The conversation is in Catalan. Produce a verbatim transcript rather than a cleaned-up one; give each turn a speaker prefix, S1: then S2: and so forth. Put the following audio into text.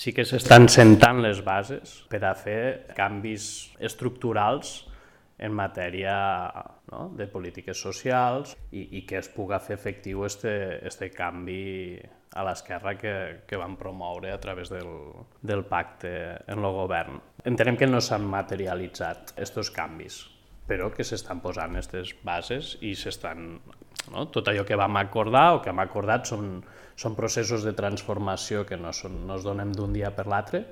S1: sí que s'estan sentant les bases per a fer canvis estructurals en matèria, no?, de polítiques socials i, i que es puga fer efectiu este, este canvi a l'esquerra que, que van promoure a través del, del pacte en el govern. Entenem que no s'han materialitzat aquests canvis, però que s'estan posant aquestes bases i s'estan, no? Tot allò que vam acordar o que hem acordat són, són processos de transformació que no, són, no es donen d'un dia per l'altre,